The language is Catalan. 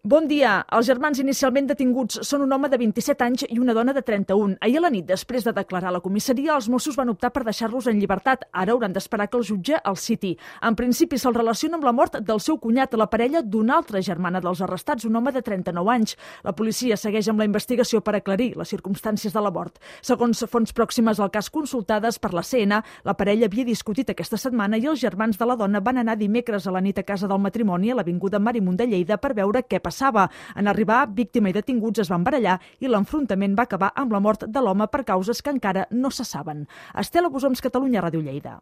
Bon dia. Els germans inicialment detinguts són un home de 27 anys i una dona de 31. Ahir a la nit, després de declarar a la comissaria, els Mossos van optar per deixar-los en llibertat. Ara hauran d'esperar que el jutge els citi. En principi, se'ls relaciona amb la mort del seu cunyat, la parella d'una altra germana dels arrestats, un home de 39 anys. La policia segueix amb la investigació per aclarir les circumstàncies de la mort. Segons fonts pròximes al cas consultades per la CN, la parella havia discutit aquesta setmana i els germans de la dona van anar dimecres a la nit a casa del matrimoni a l'avinguda Marimunt de Lleida per veure què passava. En arribar, víctima i detinguts es van barallar i l'enfrontament va acabar amb la mort de l'home per causes que encara no se saben. Estela Bosoms, Catalunya Ràdio Lleida.